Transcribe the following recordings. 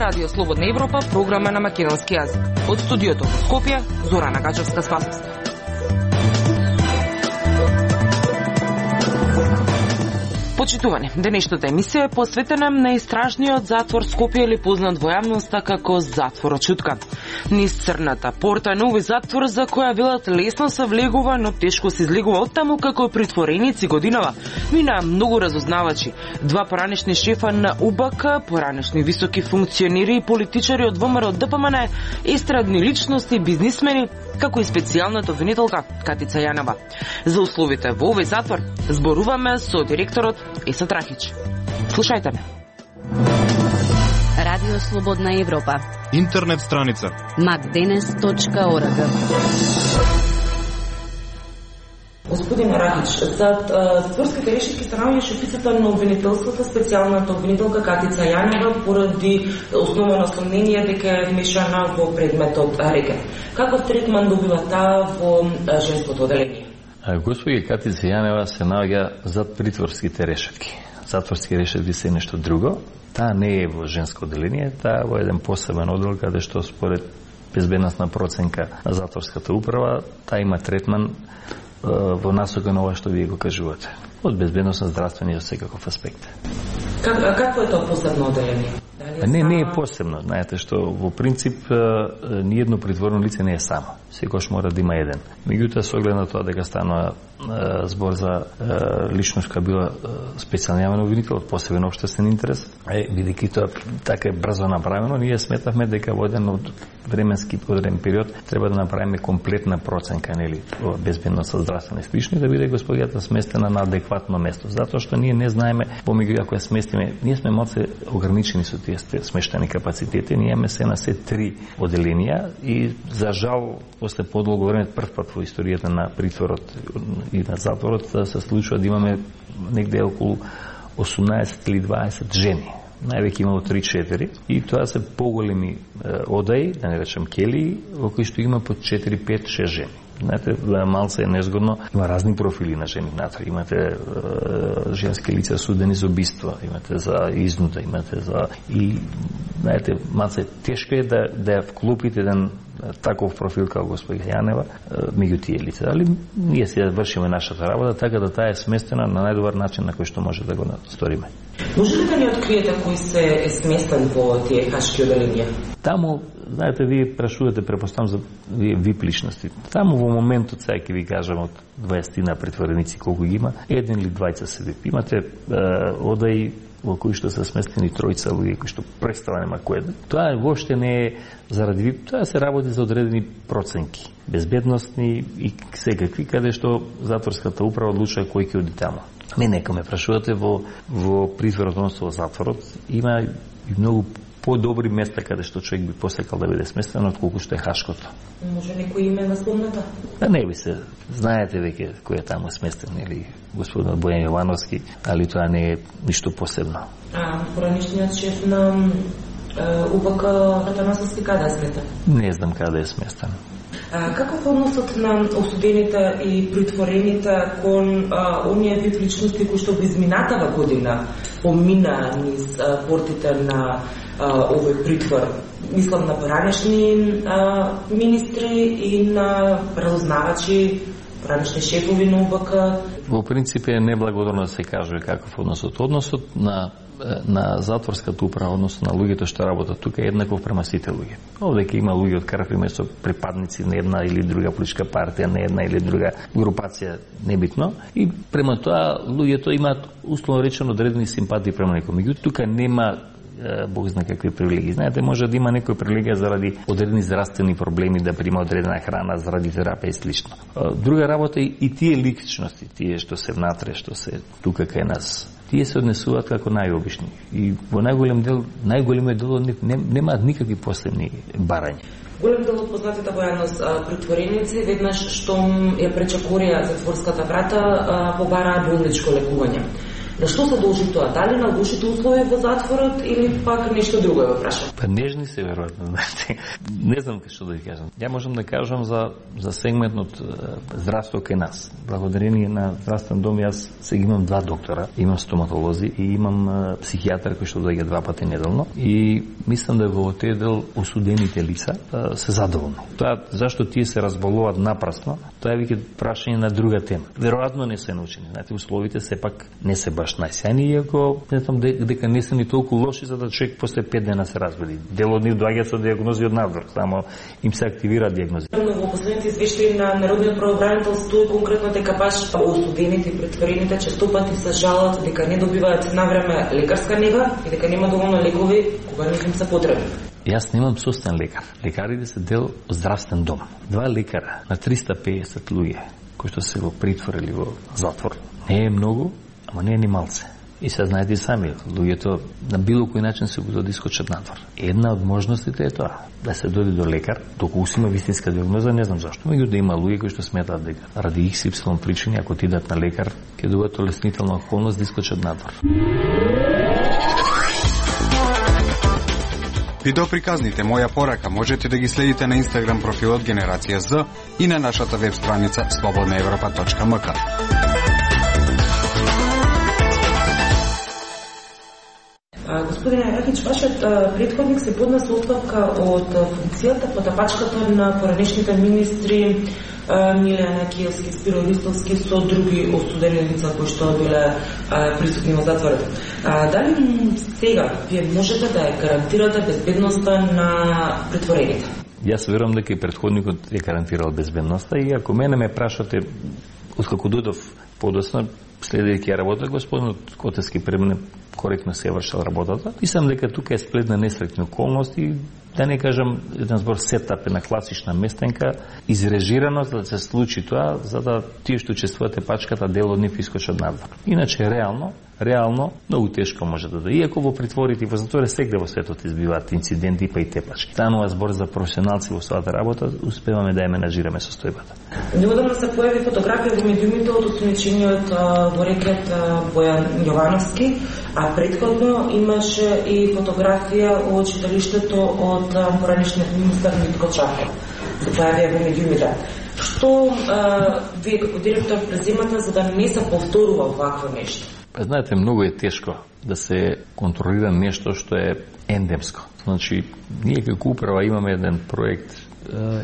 Радио Слободна Европа, програма на македонски јазик. Од студиото во Скопје, Зорана Гачевска-Спасовска. Почитувани, денешната емисија е посветена на истражниот затвор Скопје, или познат во јавноста како затворот Чутка. Низ црната порта на овој затвор, за која велат лесно се влегува, но тешко се излегува оттаму, како притвореници годинава, мина многу разузнавачи, два поранешни шефа на УБК, поранешни високи функционери и политичари од ВМРО ДПМН, естрадни личности, бизнисмени, како и специјалната обвинителка Катица Јанева. За условите во овој затвор зборуваме со директорот Есет Рахич. Слушајте ме. Радио Слободна Европа. Интернет страница macdenes.org. Господин Рахич, за затворските решетки станаваше описата на обвинителството, специјалната обвинителка Катица Јанева, поради основано сомнение дека е вмешана во предметот рекет. Каков третман добива таа во женското оделение? Господи Катица Јанева се наоѓа зад притворските решетки. Затворски решетки се нешто друго. Таа не е во женско оделение, таа во еден посебен одел, каде што според безбедносна проценка на затворската управа, таа има третман во насока на ова што вие го кажувате. Од безбедносно, здравствени и од секаков аспект. Какво е тоа посебно оделение? Не е посебно. Знаете што во принцип ниедно притворено лице не е само. Секојаш мора да има еден. Меѓутоа, со оглед на тоа дека станува збор за личност која била специјален обвинител од посебен општествен интерес, бидејќи тоа така е брзо направено, ние сметавме дека во еден од временски одреден период треба да направиме комплетна проценка, нели, безбедност, здравствена и слични, да биде господијата сместена на адекватно место. Затоа што ние не знаеме помеѓу ако ја сместиме, ние сме малце ограничени со тие смештени капацитети, ние имаме се на се 3 оделенија и за жал после подолго време прв пат во историјата на притворот и на затворот се случува да имаме негде околу 18 или 20 жени. Највеќе имало 3-4 и тоа се поголеми одаи, да не речем келии, во кои што има по 4-5-6 жени. Знаете, малце е незгодно, има разни профили на жени внатре. Имате женски лица судени за убиство, имате за изнуда, имате за... И, знаете, малце тешко е да ја вклопите еден таков профил како господи Јанева меѓу тие лица. Али ние се вршиме нашата работа така да таа е сместена на најдобар начин на кој што може да го сториме. Може ли да ни откриете кој се е сместен во тие хашки оделенија? Таму, знаете, вие прашувате, препоставам за вие вип личности. Таму во моментот, сега ќе ви кажам од 20 на притвореници колку ги има, еден или двајца се вип. Имате одаи во кои што се сместени тројца луѓе кои што представа нема кој. Тоа воопште не е заради вип, тоа се работи за одредени проценки, безбедносни и секакви, каде што затворската управа одлучува кој ќе оди таму. Мене, ако ме прашувате во притворот, односно во затворот, има и многу подобри места каде што човек би посекал да биде сместен отколку што е хашкото. Може некој име на спомната? Не би се. Знаете веќе кој е таму сместен, или господин Бојан Јовановски, али тоа не е ништо посебно. Поранешниот шеф на УБК Атанасовски каде е сместен? Не знам каде е сместен. Каков е односот на осудените и притворените кон оние вип личности кои што во изминатава година помина низ портите на овој притвор? Мислам на поранешни министри и на разузнавачи, поранешни шефови на УБК. Во принцип е неблагодарно да се кажува каков односот. Односот на затворската управа, односно на луѓето што работат тука, е еднаков према сите луѓе. Овде ќе има луѓе од крв и месо припадници на една или друга политичка партија, на една или друга групација, небитно. И према тоа луѓето имаат условно речено одредени симпатии према некој. Меѓутоа тука нема Бог зна какви привилегии. Знаете, може да има некој привилегија заради одредени здравствени проблеми, да прима одредена храна, заради терапија и слично. Друга работа и тие личности, тие што се внатре, што се тука кај нас, тие се однесуваат како најобични. И во најголемиот дел немаат никакви посебни барања. Голем дел од познатите во јавност притвореници, веднаш штом ја пречекорија затворската врата, побараа болничко лекување. На што се должи тоа? Дали на лошите услови во затворот или пак нешто друго е прашам? Па нежни се веројатно, знаете. Не знам што да ви кажам. Ја можам да кажам за сегментот здравство кај нас. Благодарение на здравствен дом јас сега имам 2 доктора, имам стоматолози и имам психијатар кој што доаѓа 2 пати неделно и мислам да во тој дел осудените лица се задоволни. Тоа зашто тие се разболуваат напрасно, тоа е веќе прашање на друга тема. Веројатно не се научени. Знаете, условите сепак не се баш најсјајни, иако не знам дека не се ни толку лоши за да човек после 5 дена се разбуди. Дел од нив доаѓаат со дијагнози од надвор, само им се активираат дијагнози. Во последните извештаи на Народниот правобранител стои конкретно дека баш осудените и претворените често пати се жалат дека не добиваат навреме лекарска нега и дека нема доволно лекови кога им се потребни. Јас немам собствен лекар. Лекарите се дел од здравствен дом. 2 лекара на 350 луѓе кои што се го притворили во затвор. Не е многу, ама не е ни малце. И се знаете и сами, луѓето на било кој начин се го дискочат надвор. Една од можностите е тоа, да се дојде до лекар, доколку си има вистинска дијагноза, не знам зашто. Меѓу да има луѓе кои што сметаат дека ради XY причини, ако ти дадат на лекар, ќе добијат олеснителна околност да искочат надвор. Видеоприказните Моја порака можете да ги следите на Инстаграм профилот Генерација З и на нашата веб страница slobodnaevropa.mk. Господине Ракич, вашиот претходник се поднесе оставка од функцијата по тапачката на поранешните министри Милена Киевски, Спиро Ристовски со други осудени лица кои што биле присутни во затворот. Дали сега вие можете да гарантирате безбедноста на претворените? Јас верувам дека и претходникот е гарантирал безбедноста и ако мене ме прашате откако дојдов подоцна, следејќи ја работа, господинот Котевски при мене коректно се вршал работата. Мислам дека тука е сплет на несреќни околности, да не кажам еден збор сетап на класична местенка, изрежирано за да се случи тоа, за да тие што учествувате пачката дел од нив искочат надвор. Иначе реално многу тешко може да дојде. Иако во притворите и во затвори сегде во светот избиваат инциденти па и тепачки. Станува збор за професионалци во својата работа, успеваме да ја менаџираме состојбата. Неодамна се појави фотографија во медиумите од осумничениот во рекет Бојан Јовановски, а претходно имаше и фотографија од читалиштето од поранешниот министар Митко Чаков. Се појавија во медиумите. Што вие како директор преземате за да не се повторува вакво нешто? Знаете, многу е тешко да се контролира нешто што е ендемско. Значи, ние како управа имаме еден проект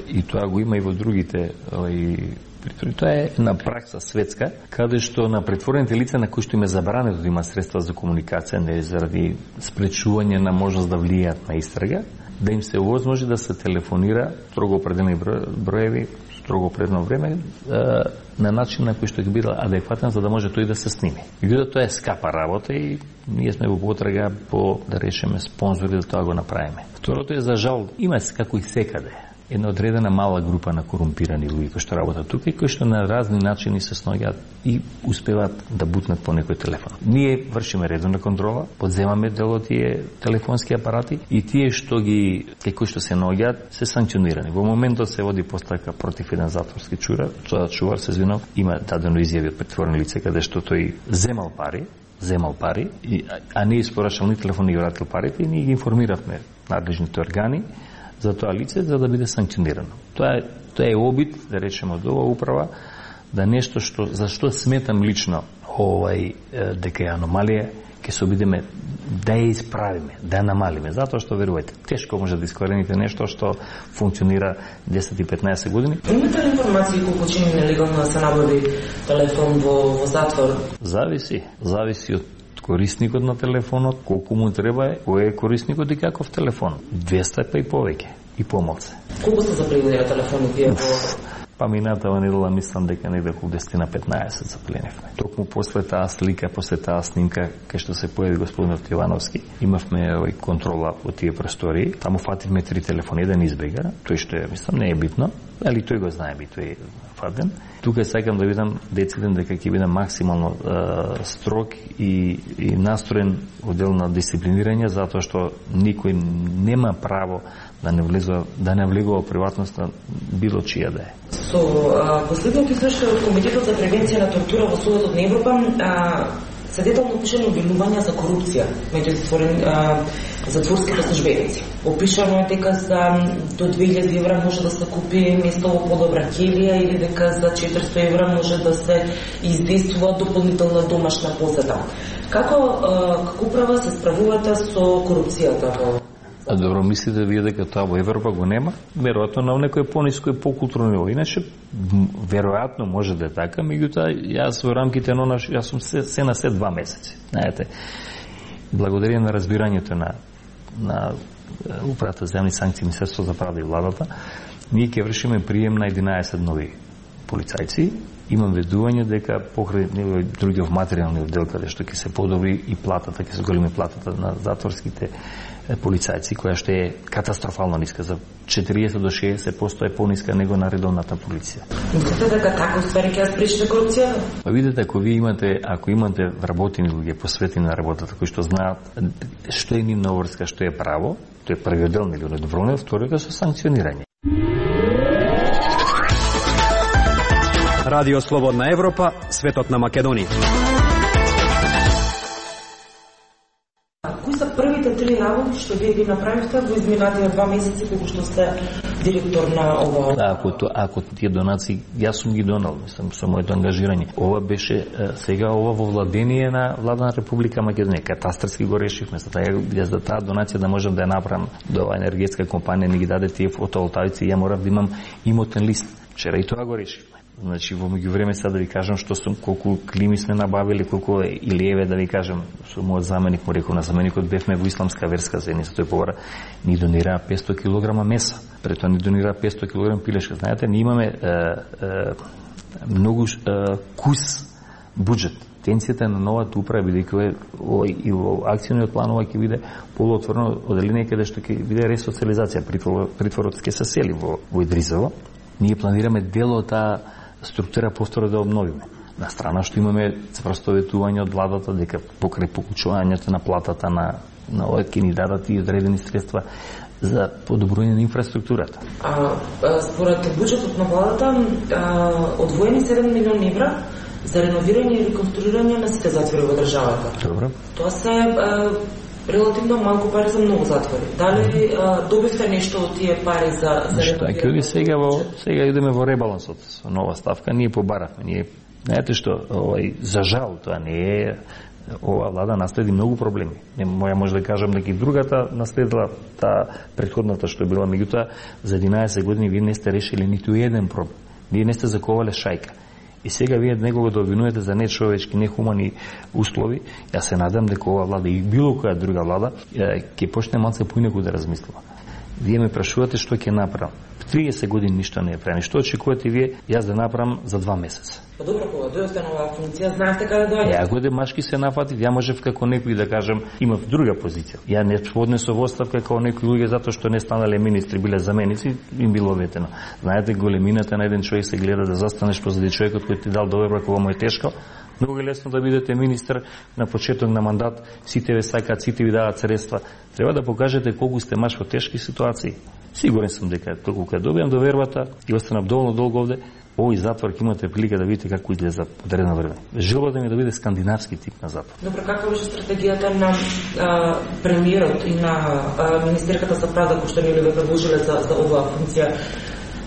и тоа го има и во другите притвори. Тоа е една пракса светска, каде што на претворените лица на кои што им е забрането да има средства за комуникација, не заради спречување на можност да влијаат на истрага, да им се овозможи да се телефонира строго определени броеви, строго определено време, на начин на кој што ќе биде адекватен за да може тој да се сними. Меѓутоа тоа е скапа работа и ние сме во потрага по да решиме спонзори да тоа го направиме. Второто е за жал има како и секаде една одредена мала група на корумпирани луѓе кои што работат тука и кои што на разни начини се сноѓаат и успеваат да бутнат по некој телефон. Ние вршиме редовна контрола, подземаме дел од тие телефонски апарати и тие што кои што се наоѓаат се санкционирани. Во моментот се води постапка против еден затворски чувар, се извинувам, има дадено изјави од претворено лице каде што тој земал пари, а не испорачал ни телефон и вратил парите и ние ги информиравме надлежните органи за тоа лице, за да биде санкционирано. Тоа е обид, да речеме, од оваа управа, да нешто за што сметам лично дека е аномалија, ќе се обидеме да ја исправиме, да ја намалиме, затоа што верувате, тешко може да искорените нешто што функционира 10 и 15 години. Имате ли информации колку чини нелегално да се набави телефон во затвор? Зависи од корисникот на телефонот, колку му треба кој е корисникот и каков телефон. 200 па и повеќе, и помалце. Колку се запленија телефони вие во... Па минатава недела мислам дека негде околу 10 на 15 запленивме. Токму после таа слика, после таа снимка, кај што се појави господинот Јовановски, имавме контрола во тие простории. Таму фативме 3 телефони, еден избега, тој што е, мислам, не е битно, али тој го знае би, тој е фатен. Тука сакам да видам дециден дека ќе биде максимално строг и настроен во дел на дисциплинирање, затоа што никој нема право да не влегува во приватност на било чија да е. Со последното извештај од Комитетот за превенција на тортура во Судот на Европа се детално опишани обвинувања за корупција меѓу затворските службеници. Опишано е дека до 2000 евра може да се купи место во подобра келија или дека за 400 евра може да се издействува дополнителна домашна посета. Како управа се справувате со корупцијата во... Добро, мислите вие дека тоа во Европа го нема? Веројатно на некој пониско и покултурно ниво. Иначе, веројатно може да е така, меѓутоа, јас во рамките на јас сум се на 2 месеци. Знаете, благодарение на разбирањето на управата за јавни санкции, Министерството за правда и владата, ние ќе вршиме прием на 11 нови полицајци. Имам ведување дека покрај други материјални оддел каде што ќе се подобри и платата, ќе се големи платата на затворските полицајци, која што е катастрофално ниска, за 40 до 60% е пониска него на редовната полиција. Мислите дека така уствари ќе спречи корупцијата? Па видите, ако имате вработени луѓе посветени на работата, кои што знаат што е нивна обврска, што е право, тоа е првиот дел, нели, доброволно, вториот со санкционирање. Радио Слободна Европа, светот на Македонија. Кои се првите 3 работи што вие ги направивте во изминатите 2 месеци кога што сте директор на ова? Ако тие донации, јас сум ги донал, мислам, со моето ангажирање. Ова беше сега ова во владение на Влада на Република Македонија. Катастарски го решивме, за таа донација да можам да ја направам до ова енергетска компанија ми ги даде тие фотоволтаици, ја морав да имам имотен лист. Вчера и тоа го решивме. Значи, во меѓувреме сега да ви кажам колку клими сме набавили, колку или еве да ви кажам, со мојот заменик му реков, на заменикот бевме во исламска верска заедница, тој повара ни донира 500 кг меса, пред тоа ни донира 500 кг пилешка. Знаете, ние имаме многу кус буџет. Тенцијата на новата управа, бидејќи и во акциониот план ова ќе биде полуотворено оделение каде што ќе биде ресоциализација, притворот ќе се сели во Идризово. Ние планираме дел од таа структура повторно да обновиме. На страна што имаме спростоветување од владата дека покрај покучувањето на платата на овој ќе ни дадат и одредени средства за подобрување на инфраструктурата. Според буџетот на владата одвоени 7 милиони евра за реновирање и реконструирање на сите затвори во државата. Добро. Тоа се релативно малку пари за многу затвори. Дали добивте нешто од тие пари за реновирање? Сега идеме во ребалансот со нова ставка, ние побаравме. Знаете што, за жал тоа не е, ова влада наследи многу проблеми. Моја може да кажам дека и другата наследила таа претходната што била, меѓутоа за 11 години вие не сте решили ниту еден проблем. Вие не сте заковале шајка. И сега вие некого да обвинувате за нечовечки, нехумани услови, јас се надам дека ова влада и било која друга влада ќе почне малце поинаку да размислува. Вие ме прашувате што ќе направам. 30 години ништо не е правено. Што очекувате вие јас да направам за 2 месеца? Па добро, кога дојдете на оваа функција, знаете каде дојдете? Ако демашки се нафатив, ја можев како некој да кажам, имав друга позиција. Ја не поднесов оставка како некои луѓе затоа што не станале министри, биле заменици, им било ветено. Знаете, големината на еден човек се гледа да застанеш позади човекот кој ти дал доверба кога му е тешко. Многу е лесно да бидете министр на почеток на мандат, сите ве сакаат, сите ви даваат средства. Треба да покажете колку сте маш во тешки ситуации. Сигурен сум дека толку кога добијам довербата и останам доволно долго овде, овој затвор ќе имате прилика да видите како изгледа за одредено време. Желбата ми да биде скандинавски тип на затвор. Добро, каква беше стратегијата на премиерот и на министерката за правда кој што ни ве предложиле за оваа функција?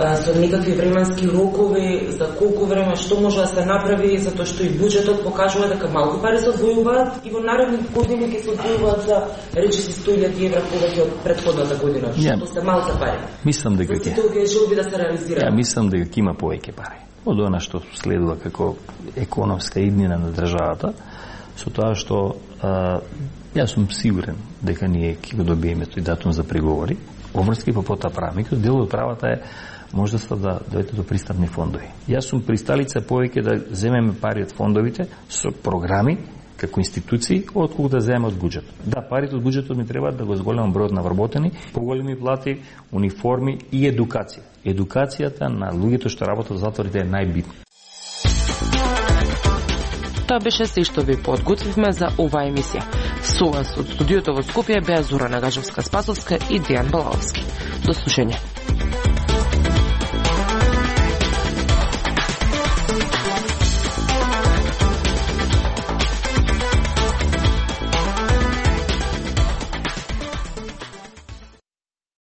Со некакви временски рокови, за колку време, што може да се направи, затоа што и буџетот покажува дека малку пари се одвојуваат и во наредни години ќе се одвојуваат за речиси 100.000 евра повеќе од претходната година, што се малку пари. Мислам дека ќе желби да се реализира. Мислам дека ќе има повеќе пари. Од она што следува како економска иднина на државата, со тоа што јас сум сигурен дека ние ќе го добиеме тој датум за преговори, обврски по потоа правникот, дел од правата е можноста да дојдете до пристапни фондови. Јас сум присталица повеќе да земеме пари од фондовите со програми како институции, отколку да земеме од буџетот. Да, парите од буџетот ми треба да го зголемам бројот на вработени, поголеми плати, униформи и едукација. Едукацијата на луѓето што работат во затворите е најбитна. Тоа беше се што ви подготвивме за оваа емисија. Со вас од студиото во Скопје беа Зорана Гажевска-Спасовска и Дејан Балаовски. До слушање.